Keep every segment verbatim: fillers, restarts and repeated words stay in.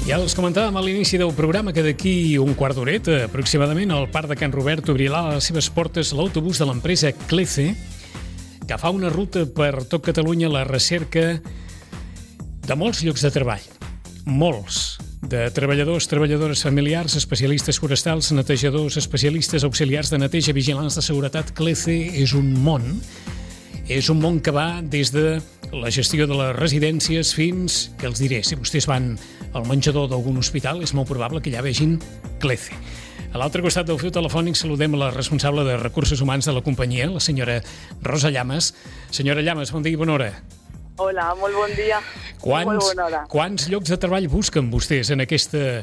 Ja els comentàvem a l'inici del programa que d'aquí un quart d'horeta, aproximadament, al Parc de Can Robert obrirà les seves portes l'autobús de l'empresa Clece, que fa una ruta per tot Catalunya a la recerca de molts llocs de treball. Molts. De treballadors, treballadores familiars, especialistes forestals, netejadors, especialistes auxiliars de neteja, vigilants de seguretat. Clece és un món. És un món que va des de la gestió de les residències fins, que els diré, si vostès van al menjador d'algun hospital, és molt probable que ja vegin Clece. A l'altre costat del fil telefònic saludem la responsable de Recursos Humans de la companyia, la senyora Rosa Llamas. Senyora Llamas, bon dia i bona hora. Hola, molt bon dia. Quants, molt bona hora. Quants llocs de treball busquen vostès en aquesta,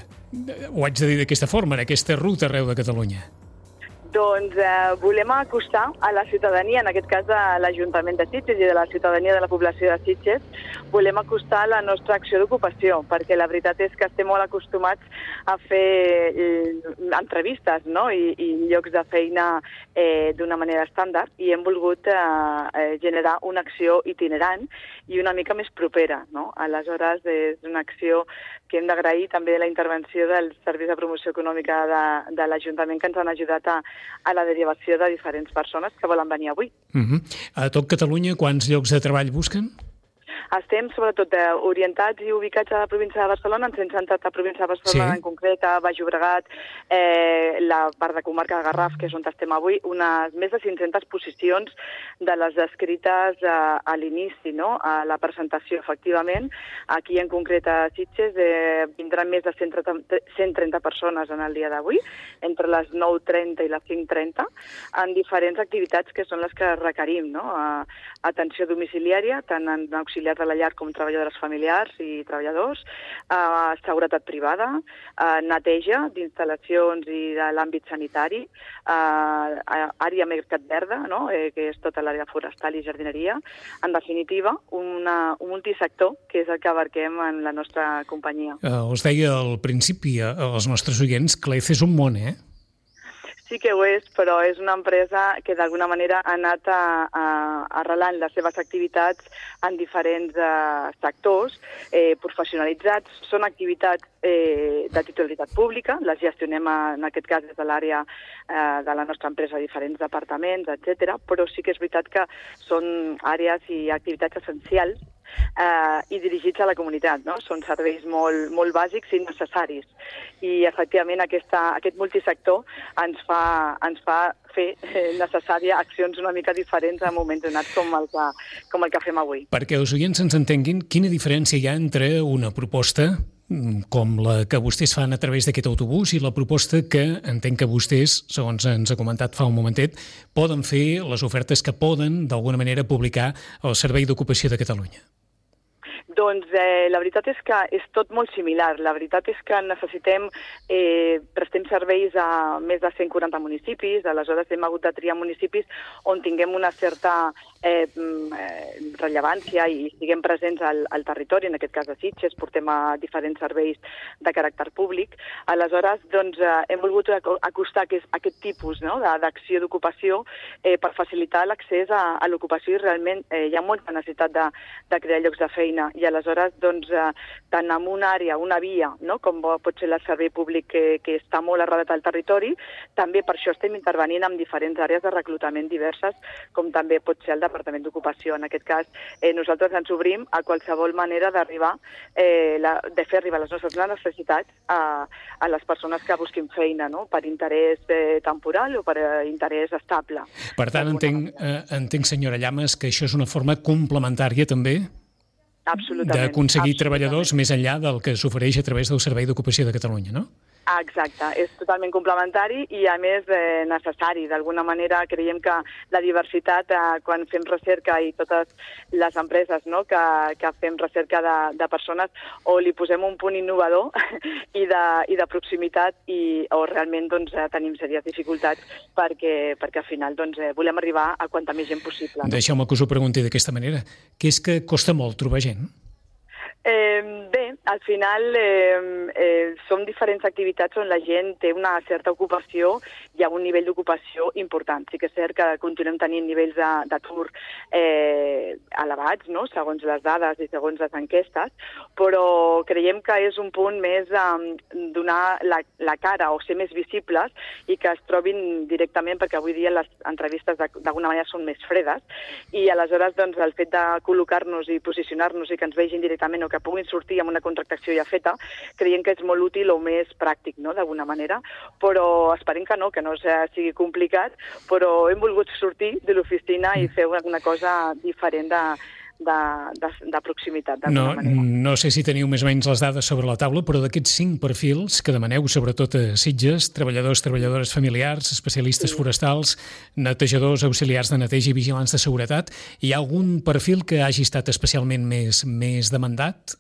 ho haig de dir d'aquesta forma, en aquesta ruta arreu de Catalunya? Doncs eh, volem acostar a la ciutadania, en aquest cas a l'Ajuntament de Sitges i de la ciutadania de la població de Sitges, volem acostar la nostra acció d'ocupació, perquè la veritat és que estem molt acostumats a fer eh, entrevistes, no? I, i llocs de feina eh, d'una manera estàndard, i hem volgut eh, generar una acció itinerant i una mica més propera, no? Aleshores, és una acció que hem d'agrair també la intervenció dels Serveis de Promoció Econòmica de, de l'Ajuntament, que ens han ajudat a a la derivació de diferents persones que volen venir avui. Uh-huh. A tot Catalunya, quants llocs de treball busquen? Estem sobretot eh, orientats i ubicats a la província de Barcelona, ens hem centrat a la província de Barcelona, sí. En concret a Baix Llobregat, eh, la part de comarca de Garraf, que és on estem avui, unes més de cinc-centes posicions de les descrites eh, a l'inici, no? A la presentació, efectivament. Aquí, en concret, a Sitges, eh, vindran més de cent trenta persones en el dia d'avui, entre les nou trenta i les cinc trenta, en diferents activitats que són les que requerim, no? A, atenció domiciliària, tant en auxiliars de la llar com treballadores familiars i treballadors, eh, seguretat privada, eh, neteja d'instal·lacions i de l'àmbit sanitari, eh, àrea mercat verda, no? eh, que és tota l'àrea forestal i jardineria. En definitiva, una, un multisector que és el que abarquem en la nostra companyia. Uh, us deia al principi als nostres oients, Clece és un món, eh? Sí que ho és, però és una empresa que d'alguna manera ha anat a, a, arrelant les seves activitats en diferents eh, sectors eh, professionalitzats. Són activitats eh, de titularitat pública, les gestionem a, en aquest cas des de l'àrea eh, de la nostra empresa a diferents departaments, etcètera. Però sí que és veritat que són àrees i activitats essencials Eh, i dirigits a la comunitat, no? Són serveis molt, molt bàsics i necessaris. I, efectivament, aquesta, aquest multisector ens fa, ens fa fer eh, necessària accions una mica diferents en moments donats com el que, com el que fem avui. Perquè els oients ens entenguin, quina diferència hi ha entre una proposta com la que vostès fan a través d'aquest autobús i la proposta que entenc que vostès, segons ens ha comentat fa un momentet, poden fer les ofertes que poden, d'alguna manera, publicar al Servei d'Ocupació de Catalunya? Doncs eh, la veritat és que és tot molt similar. La veritat és que necessitem, eh, prestem serveis a més de cent quaranta municipis, aleshores hem hagut de triar municipis on tinguem una certa eh, rellevància i siguem presents al, al territori, en aquest cas a Sitges, portem a diferents serveis de caràcter públic. Aleshores, doncs, eh, hem volgut acostar aquest, aquest tipus, no?, d'acció d'ocupació eh, per facilitar l'accés a, a l'ocupació i realment eh, hi ha molta necessitat de, de crear llocs de feina. I aleshores, doncs, eh, tant en una àrea, una via, no?, com pot ser el servei públic que, que està molt arrelat al territori, també per això estem intervenint en diferents àrees de reclutament diverses, com també pot ser el Departament d'Ocupació. En aquest cas, eh, nosaltres ens obrim a qualsevol manera d'arribar, eh, la, de fer arribar les nostres necessitats a, a les persones que busquin feina, no?, per interès eh, temporal o per eh, interès estable. Per tant, entenc, eh, entenc, senyora Llamas, que això és una forma complementària també d'aconseguir treballadors més enllà del que s'ofereix a través del Servei d'Ocupació de Catalunya, no? Exacte, és totalment complementari i, a més, eh, necessari. D'alguna manera, creiem que la diversitat, eh, quan fem recerca i totes les empreses, no?, que, que fem recerca de, de persones, o li posem un punt innovador i de, i de proximitat, i, o realment doncs, tenim sèries dificultats perquè, perquè al final doncs, volem arribar a quanta més gent possible. No? Deixeu-me que us ho pregunti d'aquesta manera. Què és que costa molt trobar gent? Eh, bé, al final eh, eh, són diferents activitats on la gent té una certa ocupació i ha un nivell d'ocupació important. Sí que és cert que continuem tenint nivells d'atur eh, elevats, no? Segons les dades i segons les enquestes, però creiem que és un punt més eh, donar la, la cara o ser més visibles i que es trobin directament, perquè avui dia les entrevistes d'alguna manera són més fredes, i aleshores doncs, el fet de col·locar-nos i posicionar-nos i que ens vegin directament o que puguin sortir amb una contractació ja feta, creiem que és molt útil o més pràctic, no?, d'alguna manera, però esperem que no, que no sigui complicat, però hem volgut sortir de l'oficina i fer una cosa diferent de, de, de, de proximitat, d'alguna no, manera. No sé si teniu més o menys les dades sobre la taula, però d'aquests cinc perfils que demaneu, sobretot a Sitges, treballadors, treballadores familiars, especialistes sí. forestals, netejadors, auxiliars de neteja i vigilants de seguretat, hi ha algun perfil que hagi estat especialment més, més demandat?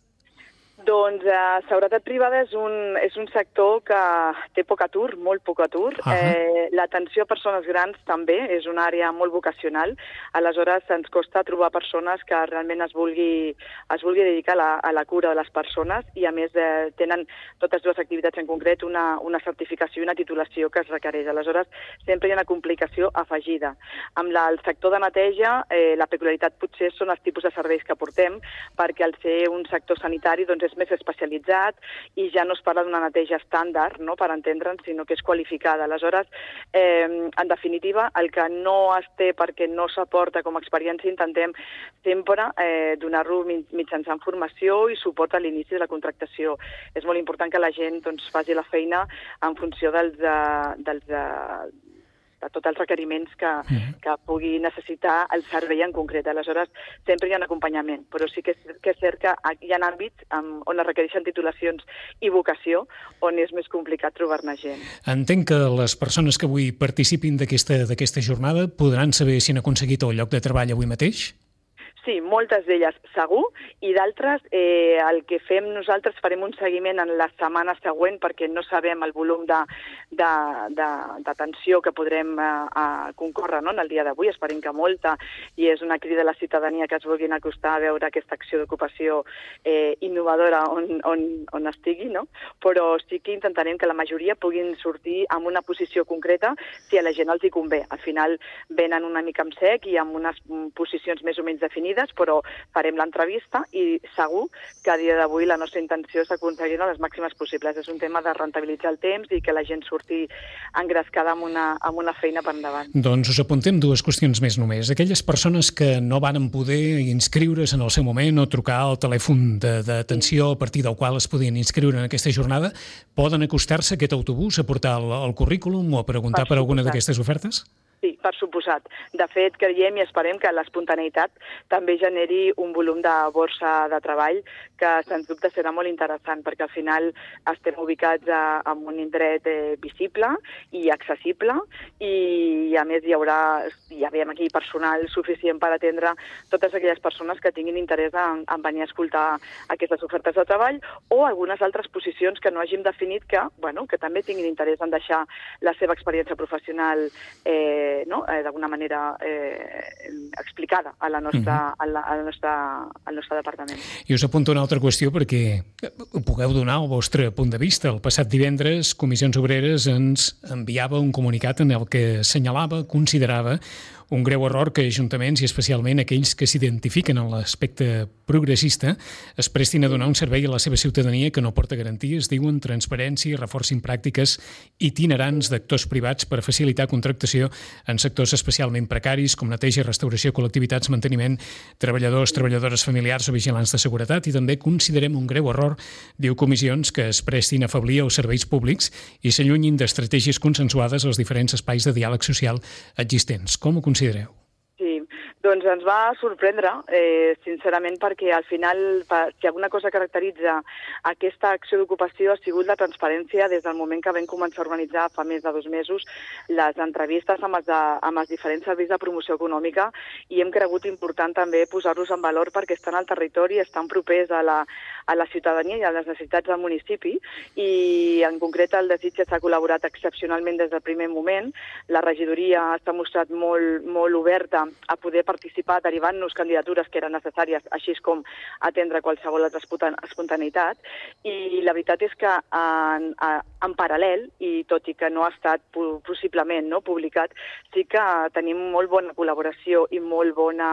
Doncs eh, seguretat privada és un, és un sector que té poc atur, molt poc atur. Uh -huh. eh, L'atenció a persones grans també és una àrea molt vocacional. Aleshores ens costa trobar persones que realment es vulgui, es vulgui dedicar a la, a la cura de les persones i a més eh, tenen totes dues activitats en concret una, una certificació i una titulació que es requereix. Aleshores sempre hi ha una complicació afegida. Amb la, el sector de neteja eh, la peculiaritat potser són els tipus de serveis que portem, perquè al ser un sector sanitari doncs és més especialitzat i ja no es parla d'una neteja estàndard, no?, per entendre'ns, sinó que és qualificada. Aleshores, eh, en definitiva, el que no es té perquè no s'aporta com a experiència, intentem sempre eh, donar-lo mitjançant formació i suport a l'inici de la contractació. És molt important que la gent doncs, faci la feina en funció dels, uh, dels uh, de tots els requeriments que, que pugui necessitar el servei en concret. Aleshores, sempre hi ha un acompanyament, però sí que és, que és cert que hi ha àmbits on es requereixen titulacions i vocació, on és més complicat trobar-ne gent. Entenc que les persones que avui participin d'aquesta d'aquesta jornada podran saber si han aconseguit el lloc de treball avui mateix? Sí, moltes d'elles segur, i d'altres eh, el que fem nosaltres farem un seguiment en la setmana següent perquè no sabem el volum d'atenció que podrem eh, concórrer, no?, en el dia d'avui. Esperem que molta, i és una crida a la ciutadania que es vulguin acostar a veure aquesta acció d'ocupació eh, innovadora on, on, on estigui, no? Però sí que intentarem que la majoria puguin sortir amb una posició concreta si a la gent els hi convé. Al final venen una mica amb sec i amb unes posicions més o menys definides, però farem l'entrevista i segur que a dia d'avui la nostra intenció és aconseguir-ne les màximes possibles. És un tema de rentabilitzar el temps i que la gent surti engrescada amb una, amb una feina per endavant. Doncs us apuntem dues qüestions més només. Aquelles persones que no van poder inscriure's en el seu moment o trucar al telèfon d'atenció a partir del qual es podien inscriure en aquesta jornada, poden acostar-se a aquest autobús a portar el, el currículum o a preguntar per, per alguna d'aquestes ofertes? Sí, per suposat. De fet, creiem i esperem que l'espontaneïtat també generi un volum de borsa de treball que, sens dubte, serà molt interessant, perquè al final estem ubicats a, en un indret eh, visible i accessible i, a més, hi haurà, ja veiem aquí, personal suficient per atendre totes aquelles persones que tinguin interès en, en venir a escoltar aquestes ofertes de treball o algunes altres posicions que no hàgim definit que, bueno, que també tinguin interès en deixar la seva experiència professional eh, no? eh, d'alguna manera eh, explicada a la nostra, uh-huh. a la, a la nostra, al nostre departament. I us apunto una altra qüestió perquè pugueu donar el vostre punt de vista. El passat divendres, Comissions Obreres ens enviava un comunicat en el que assenyalava, considerava un greu error que ajuntaments i especialment aquells que s'identifiquen en l'aspecte progressista es prestin a donar un servei a la seva ciutadania que no porta garanties, diuen transparència i reforcin pràctiques itinerants d'actors privats per facilitar contractació en sectors especialment precaris com neteja, restauració, col·lectivitats, manteniment, treballadors, treballadores familiars o vigilants de seguretat, i també considerem un greu error, diu Comissions, que es prestin a afeblir els serveis públics i s'allunyin d'estratègies consensuades als diferents espais de diàleg social existents. Com ho considereu? Sí, doncs ens va sorprendre, eh, sincerament, perquè al final, si alguna cosa caracteritza aquesta acció d'ocupació ha sigut la transparència des del moment que vam començar a organitzar fa més de dos mesos les entrevistes amb els, de, amb els diferents serveis de promoció econòmica, i hem cregut important també posar-los en valor perquè estan al territori, estan propers a la, a la ciutadania i a les necessitats del municipi, i en concret el de Sitges s'ha col·laborat excepcionalment des del primer moment. La regidoria s'ha mostrat molt, molt oberta a poder participar derivant-nos candidatures que eren necessàries, així com atendre qualsevol altra espontaneïtat. I la veritat és que en, en paral·lel, i tot i que no ha estat possiblement no, publicat, sí que tenim molt bona col·laboració i molt bona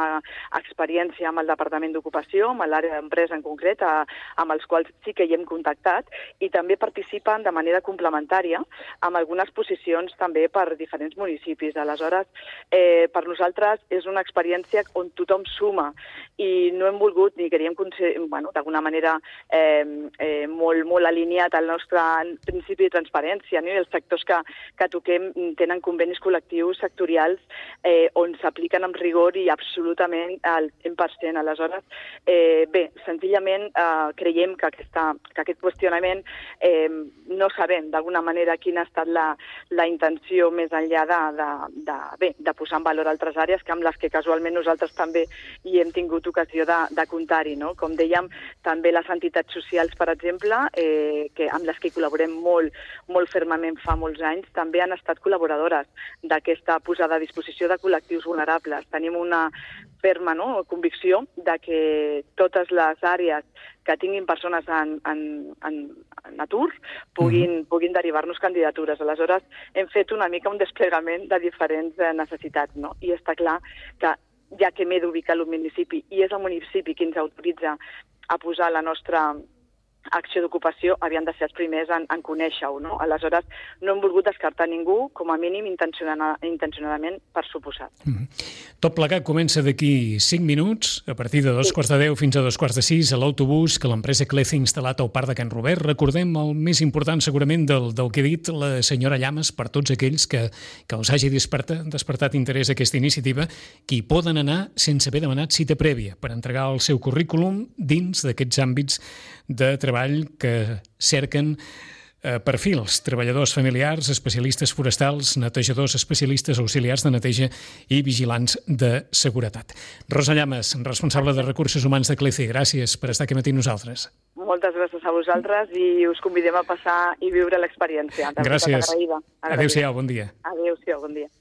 experiència amb el Departament d'Ocupació, amb l'àrea d'empresa en concret, a, amb els quals sí que hi hem contactat, i també participen de manera complementària amb algunes posicions també per diferents municipis. Aleshores, eh, per nosaltres és una experiència on tothom suma i no hem volgut ni queríem, bueno, d'alguna manera eh, eh, molt, molt alineat al nostre principi de transparència, no? I els sectors que, que toquem tenen convenis col·lectius sectorials eh, on s'apliquen amb rigor i absolutament al cent per cent. Aleshores, eh, bé, senzillament eh, creiem que, aquesta, que aquest qüestionament eh, no sabem d'alguna manera quina ha estat la, la intenció més enllà de, de, de, bé, de posar en valor altres àrees que amb les que casualment nosaltres també hi hem tingut ocasió de, de comptar-hi, no? Com dèiem, també les entitats socials, per exemple, eh, que amb les que col·laborem molt, molt fermament fa molts anys, també han estat col·laboradores d'aquesta posada a disposició de col·lectius vulnerables. Tenim una ferma no, convicció de que totes les àrees que tinguin persones en, en, en, en atur puguin, mm-hmm. puguin derivar-nos candidatures. Aleshores, hem fet una mica un desplegament de diferents eh, necessitats, no? I està clar que ja que m'he d'ubicar al municipi i és el municipi qui ens autoritza a posar la nostra acció d'ocupació, havien de ser els primers en, en conèixer-ho, no? Aleshores, no hem volgut descartar ningú, com a mínim intencionada, intencionadament, per suposat. Mm. Tot plegat comença d'aquí cinc minuts, a partir de dos sí. quarts de deu fins a dos quarts de sis, a l'autobús que l'empresa Clece ha instal·lat al Parc de Can Robert. Recordem el més important, segurament, del, del que ha dit la senyora Llamas per tots aquells que, que els hagi despertat, despertat interès a aquesta iniciativa, que hi poden anar sense haver demanat cita prèvia per entregar el seu currículum dins d'aquests àmbits de treball que cerquen eh, perfils, treballadors familiars, especialistes forestals, netejadors, especialistes auxiliars de neteja i vigilants de seguretat. Rosa Llamas, responsable de Recursos Humans de Clece, gràcies per estar aquí matí amb nosaltres. Moltes gràcies a vosaltres i us convidem a passar i viure l'experiència. Gràcies. Adéu-siau, bon dia. Adéu-siau, bon dia.